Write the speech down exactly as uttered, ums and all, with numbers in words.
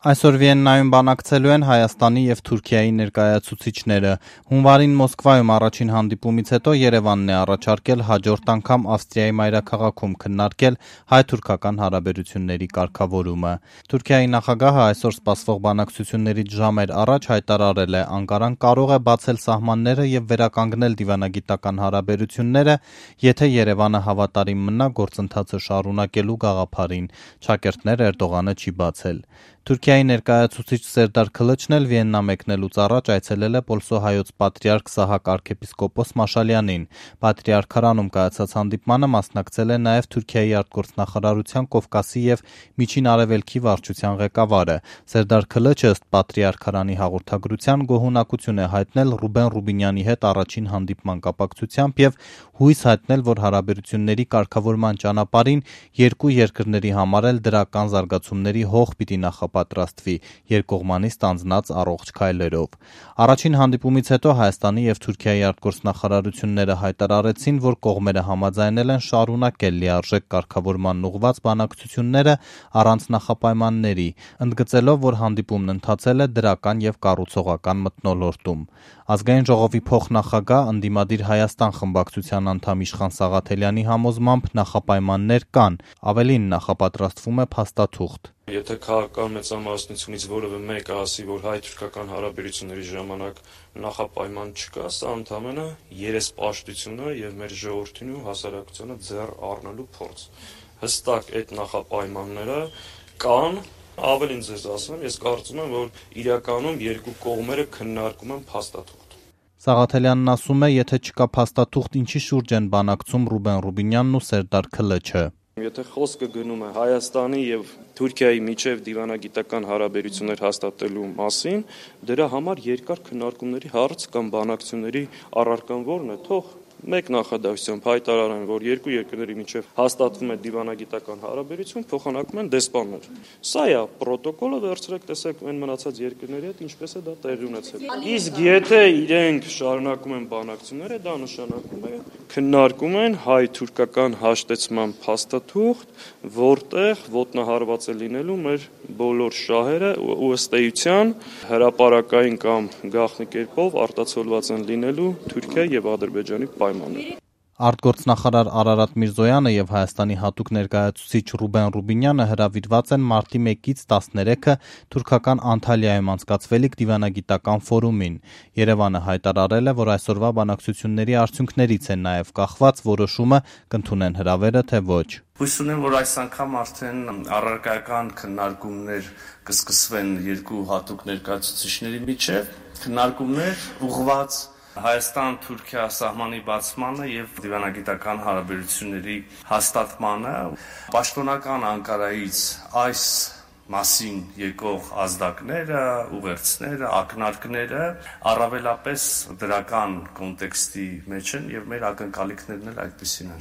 Այսօր Վիեննայում բանակցելու են Հայաստանի և Թուրքիայի ներկայացուցիչները։ Հունվարին Մոսկվայում առաջին հանդիպումից հետո Երևանն է առաջարկել հաջորդ անգամ Ավստրիայի մայրաքաղաքում քննարկել հայ-թուրքական հարաբերությունների կարգավորումը։ Թուրքիայի նախագահը այսօր սպասվող բանակցություններից ժամեր առաջ հայտարարել է՝ Անկարան կարող է բացել սահմանները և վերականգնել դիվանագիտական հարաբերությունները, եթե Երևանը հավատարիմ մնա գործընթացը շարունակելու գաղափարին։ Չակերտներ Էրդողանը չի բացել։ Թուրքիայի ներկայացուցիչ Սերդար Քլիչն էլ Վիեննա մեկնելուց առաջ այցելել է պոլսոհայոց պատրիարք Սահակ arczepiskopos Մաշալյանին։ Պատրիարքարանում կայացած հանդիպմանը մասնակցել է նաև Թուրքիայի արտգործնախարարության Կովկասի և Միջին Արևելքի վարչության ղեկավարը։ Սերդար Քլիչը ըստ պատրիարքարանի հաղորդագրության գոհունակություն է հայտնել Ռուբեն Ռուբինյանի հետ առաջին հանդիպման կապակցությամբ և հույս հայտնել, որ հարաբերությունների կարգավորման ճանապարհին երկու երկրների համար էլ դրական զարգացումների հող պիտի նախապատրաստվի երկկողմանի ստանձնած առողջ քայլերով։ Առաջին հանդիպումից հետո Հայաստանի և Թուրքիայի արտգործնախարարությունները հայտարարեցին, որ կողմերը համաձայնել են շարունակել լիարժեք կարգավորման ուղղված բանակցությունները առանց նախապայմանների, ընդգծելով, որ հանդիպումն ընթացել է դրական և կառուցողական մթնոլորտում։ Ազգային ժողովի փոխնախագահ, ընդդիմադիր Հայաստան խմբակցության անդամ Իշխան Սաղաթելյանի համոզմամբ նախապայմաններ կան, ավելին նախապատրաստվում է փաստաթուղթ։ Եթե քաղաքական մեծամասնությունից որևէ մեկը ասի, որ հայ-թուրքական հարաբերությունների ժամանակ նախապայման չկա, սա ընդամենը երեսպաշտություն է և մեր ժողովրդին ու հասարակությանը ձեռ առնելու փորձ։ Հստակ այդ նախապայմանները կան, ավելին ձեզ ասեմ, ես կարծում եմ, որ իրականում երկու կողմերը քննարկում են փաստաթուղթ։ Սաղաթելյանն ասում է, եթե չկա փաստաթուղթ, ինչի շուրջ են բանակցում Ռուբեն Ռուբինյանն ու Սերդար Քլիչը։ Եթե խոսքը գնում է Հայաստանի և Թուրքիայի միջև դիվանագիտական հարաբերություններ հաստատելու մասին, դրա համար երկար քննարկումների հարց կամ բանակցությունների առարկան ո՞րն է, թող մեկ նախադասությամբ հայտարարեն, որ երկու երկրների միջև հաստատվում է դիվանագիտական հարաբերություն, փոխանակում են դեսպաններ։ Սա է պրոտոկոլը, վերցրեք տեսեք այն մնացած երկրների հետ ինչպես է դա տեղի ունեցել։ Իսկ եթե իրենք շարունակում են բանակցությունները, դա նշանակում է քննարկում են հայ-թուրքական հաշտեցման փաստաթուղթ, որտեղ ոտնահարված է լինելու մեր բոլոր շահերը ու ըստ էության հրապարակային կամ գաղտնի կերպով արտացոլված են լինելու Թուրքիայի և Ադրբեջանի պայմանները։ Արտգործնախարար Արարատ Միրզոյանը և Հայաստանի հատուկ ներկայացուցիչ Ռուբեն Ռուբինյանը հրավիրված են մարտի մեկից տասներեքը թուրքական Անտալիայում անցկացվելիք դիվանագիտական ֆորումին։ Երևանը հայտարարել է, որ այսօրվա բանակցությունների արդյունքներից է նաև կախված որոշումը կընդունեն հրավերը, թե ոչ։ Հույս ունեմ, որ այս անգամ արդեն առարկայական քննարկումներ կսկսվեն երկու հատուկ ներկայացուցիչների միջև, քննարկումներ ուղղված Հայաստան-Թուրքիա սահմանի բացմանը և դիվանագիտական հարաբերությունների հաստատմանը։ Պաշտոնական Անկարայից այս մասին եկող ազդակները, ուղերձները, ակնարկները առավելապես դրական կոնտեքստի մեջ են և մեր ակնկալիքներն էլ այդպիսին են։